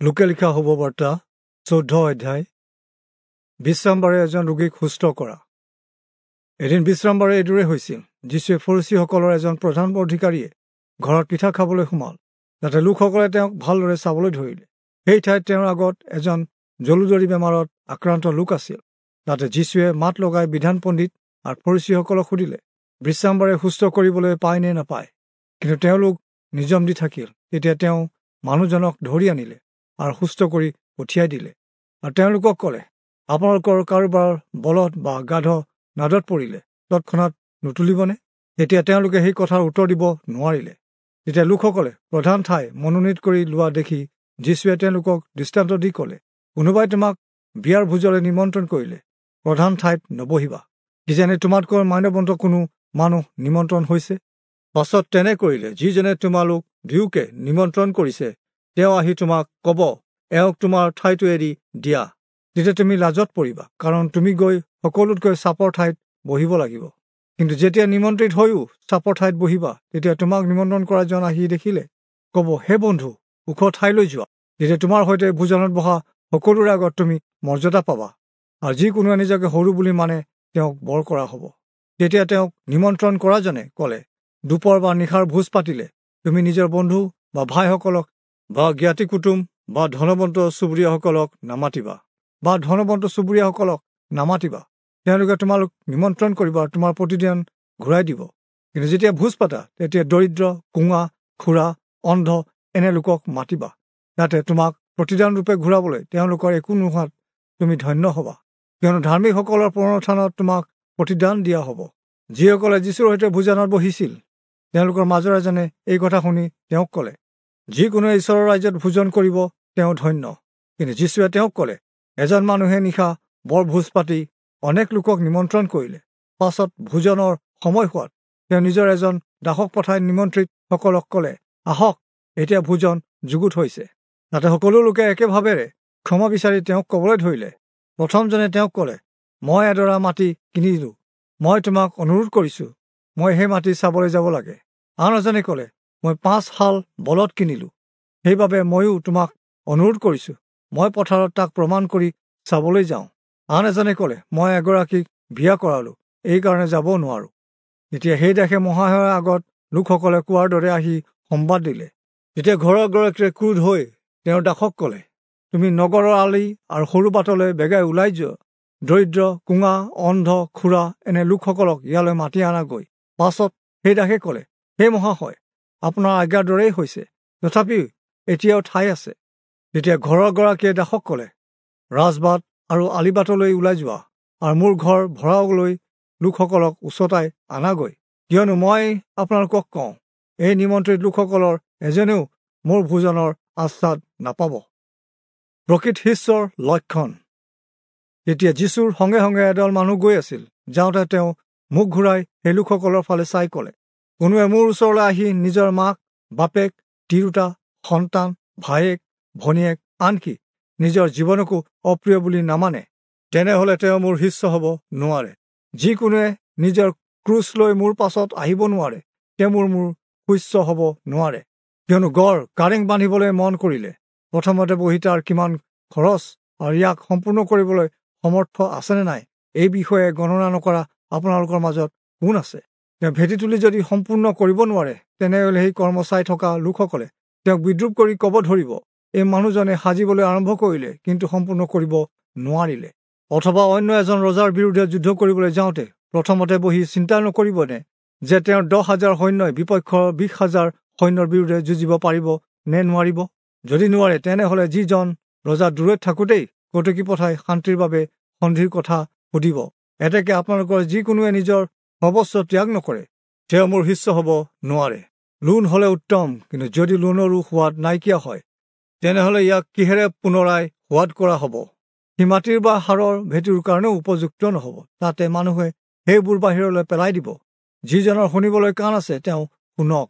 লোকে লিখা শুভবাৰ্তা 14 অধ্যায়। বিশ্ৰামবাৰে এজন ৰোগীক সুস্থ কৰা। এদিন বিশ্ৰামবাৰে এইদৰে হৈছিল, যীচুৱে ফৰীচীসকলৰ এজন প্ৰধান অধিকাৰীয়ে ঘৰত পিঠা খাবলৈ সোমাল। তাতে লোকসকলে তেওঁক ভালদৰে চাবলৈ ধৰিলে। সেই ঠাইত তেওঁৰ আগত এজন জলুজৰি বেমাৰত আক্ৰান্ত লোক আছিল। তাতে যীচুৱে মাত লগাই বিধান পণ্ডিত আৰু ফৰীচীসকলক সুধিলে, বিশ্ৰামবাৰে সুস্থ কৰিবলৈ পায় নে নাপায়? কিন্তু তেওঁলোক নিজম দি থাকিল। তেতিয়া তেওঁ মানুহজনক ধৰি আনিলে আৰু সুস্থ কৰি পঠিয়াই দিলে। আৰু তেওঁলোকক ক'লে, আপোনালোকৰ কাৰোবাৰ বলধ বা গাধ নাদত পৰিলে তৎক্ষণাত নুতুলিবনে? তেতিয়া তেওঁলোকে সেই কথাৰ উত্তৰ দিব নোৱাৰিলে। তেতিয়া লোকসকলে প্ৰধান ঠাই মনোনীত কৰি লোৱা দেখি যীচুৱে তেওঁলোকক দৃষ্টান্ত দি ক'লে, কোনোবাই তোমাক বিয়াৰ ভোজলৈ নিমন্ত্ৰণ কৰিলে প্ৰধান ঠাইত নবহিবা, কিজানি তোমাতকৈ মান্যৱন্ত কোনো মানুহ নিমন্ত্ৰণ হৈছে। পাছত তেনে কৰিলে যিজনে তোমালোক দুয়োকে নিমন্ত্ৰণ কৰিছে তেওঁ আহি তোমাক ক'ব, এওঁক তোমাৰ ঠাইটো এৰি দিয়া। তেতিয়া তুমি লাজত পৰিবা, কাৰণ তুমি গৈ সকলোতকৈ চাপৰ ঠাইত বহিব লাগিব। কিন্তু যেতিয়া নিমন্ত্ৰিত হৈও চাপৰ ঠাইত বহিবা, তেতিয়া তোমাক নিমন্ত্ৰণ কৰাজন আহি দেখিলে ক'ব, হে বন্ধু, ওখ ঠাইলৈ যোৱা। তেতিয়া তোমাৰ সৈতে ভোজনত বহা সকলোৰে আগত তুমি মৰ্যাদা পাবা। আৰু যিকোনোৱে নিজকে সৰু বুলি মানে তেওঁক বৰ কৰা হ'ব। তেতিয়া তেওঁক নিমন্ত্ৰণ কৰাজনে ক'লে, দুপৰ বা নিশাৰ ভোজ পাতিলে তুমি নিজৰ বন্ধু বা ভাইসকলক বা জ্ঞাতি কুটুম বা ধনৱন্ত চুবুৰীয়াসকলক নামাতিবা, তেওঁলোকে তোমালোক নিমন্ত্ৰণ কৰিব আৰু তোমাৰ প্ৰতিদান ঘূৰাই দিব। কিন্তু যেতিয়া ভোজ পাতা, তেতিয়া দৰিদ্ৰ, কোঙা, খুৰা, অন্ধ এনে লোকক মাতিবা, যাতে তোমাক প্ৰতিদানৰূপে ঘূৰাবলৈ তেওঁলোকৰ একো নোহোৱাত তুমি ধন্য হ'বা। কিয়নো ধাৰ্মিকসকলৰ পুনৰুত্থানত তোমাক প্ৰতিদান দিয়া হ'ব। যিসকলে যীচুৰ সৈতে ভোজনত বহিছিল, তেওঁলোকৰ মাজৰ এজনে এই কথা শুনি তেওঁক ক'লে, যিকোনোৱে ঈশ্বৰৰ ৰাজ্যত ভোজন কৰিব তেওঁ ধন্য। কিন্তু যীচুৱে তেওঁক ক'লে, এজন মানুহে নিশা বৰ ভোজ পাতি অনেক লোকক নিমন্ত্ৰণ কৰিলে। পাছত ভোজনৰ সময় হোৱাত তেওঁ নিজৰ এজন দাসক পঠাই নিমন্ত্ৰিতসকলক ক'লে, আহক, এতিয়া ভোজন যুগুত হৈছে। তাতে সকলো লোকে একেভাৱেৰে ক্ষমা বিচাৰি তেওঁক ক'বলৈ ধৰিলে। প্ৰথমজনে তেওঁক ক'লে, মই এডৰা মাটি কিনিলোঁ, মই তোমাক অনুৰোধ কৰিছোঁ, মই সেই মাটি চাবলৈ যাব লাগে। আন এজনে ক'লে, মই 5 হাল বলধ কিনিলোঁ, সেইবাবে ময়ো তোমাক অনুৰোধ কৰিছোঁ, মই পথাৰত তাক প্ৰমাণ কৰি চাবলৈ যাওঁ। আন এজনে ক'লে, মই এগৰাকীক বিয়া কৰালোঁ, এইকাৰণে যাব নোৱাৰোঁ। তেতিয়া সেই দাসে মহাশয়ৰ আগত লোকসকলে কোৱাৰ দৰে আহি সম্বাদ দিলে। তেতিয়া ঘৰৰ গৰাকীয়ে ক্ৰোধ হৈ তেওঁৰ দাসক ক'লে, তুমি নগৰৰ আলি আৰু সৰু বাটলৈ বেগাই ওলাই যোৱা, দৰিদ্ৰ, কোঙা, অন্ধ, খুৰা এনে লোকসকলক ইয়ালৈ মাতি আনাগৈ। পাছত সেই দাসে ক'লে, হে মহাশয়, আপোনাৰ আজ্ঞাৰ দৰেই হৈছে, তথাপিও এতিয়াও ঠাই আছে। তেতিয়া ঘৰৰ গৰাকীয়ে দাসক ক'লে, ৰাজবাট আৰু আলিবাটলৈ ওলাই যোৱা আৰু মোৰ ঘৰ ভৰাবলৈ লোকসকলক উচতাই আনাগৈ। কিয়নো মই আপোনালোকক কওঁ, এই নিমন্ত্ৰিত লোকসকলৰ এজনেও মোৰ ভোজনৰ আস্বাদ নাপাব। প্ৰকৃত শিষ্যৰ লক্ষণ। তেতিয়া যীচুৰ সঙ্গে সঙ্গে এদল মানুহ গৈ আছিল। যাওঁতে তেওঁ মুখ ঘূৰাই সেই লোকসকলৰ ফালে চাই ক'লে, কোনোৱে মোৰ ওচৰলৈ আহি নিজৰ মাক, বাপেক, তিৰোতা, সন্তান, ভায়েক, ভনীয়েক, আনকি নিজৰ জীৱনকো অপ্ৰিয় বুলি নামানে, তেনেহ'লে তেওঁ মোৰ শিষ্য হ'ব নোৱাৰে। যিকোনোৱে নিজৰ ক্ৰুচ লৈ মোৰ পাছত আহিব নোৱাৰে, তেওঁ মোৰ শিষ্য হ'ব নোৱাৰে। কিয়নো গড় কাৰেং বান্ধিবলৈ মন কৰিলে প্ৰথমতে বহি তাৰ কিমান খৰচ আৰু ইয়াক সম্পূৰ্ণ কৰিবলৈ সমৰ্থ আছেনে নাই এই বিষয়ে গণনা নকৰা আপোনালোকৰ মাজত কোন আছে? তেওঁ ভেটি তুলি যদি সম্পূৰ্ণ কৰিব নোৱাৰে, তেনেহ'লে সেই কৰ্ম চাই থকা লোকসকলে তেওঁক বিদ্ৰূপ কৰি ক'ব ধৰিব, এই মানুহজনে সাজিবলৈ আৰম্ভ কৰিলে কিন্তু সম্পূৰ্ণ কৰিব নোৱাৰিলে। অথবা অন্য এজন ৰজাৰ বিৰুদ্ধে যুদ্ধ কৰিবলৈ যাওঁতে প্ৰথমতে বহি চিন্তা নকৰিবনে যে তেওঁৰ 10,000 সৈন্যই বিপক্ষৰ 20,000 সৈন্যৰ বিৰুদ্ধে যুঁজিব পাৰিব নে নোৱাৰিব? যদি নোৱাৰে, তেনেহ'লে যিজন ৰজা দূৰৈত থাকোঁতেই কটকী পঠাই শান্তিৰ বাবে সন্ধিৰ কথা সুধিব। এতেকে আপোনালোকৰ যিকোনোৱে নিজৰ সৰ্বস্ব ত্যাগ নকৰে, তেওঁ মোৰ শিষ্য হ'ব নোৱাৰে। লোণ হ'লে উত্তম, কিন্তু যদি লোণৰো সোৱাদ নাইকিয়া হয়, তেনেহ'লে ইয়াক কিহেৰে পুনৰাই সোৱাদ কৰা হ'ব? সি মাটিৰ বা সাৰৰ ভেটিৰ কাৰণেও উপযুক্ত নহ'ব, তাতে মানুহে সেইবোৰ বাহিৰলৈ পেলাই দিব। যিজনৰ শুনিবলৈ কাণ আছে তেওঁ শুনক।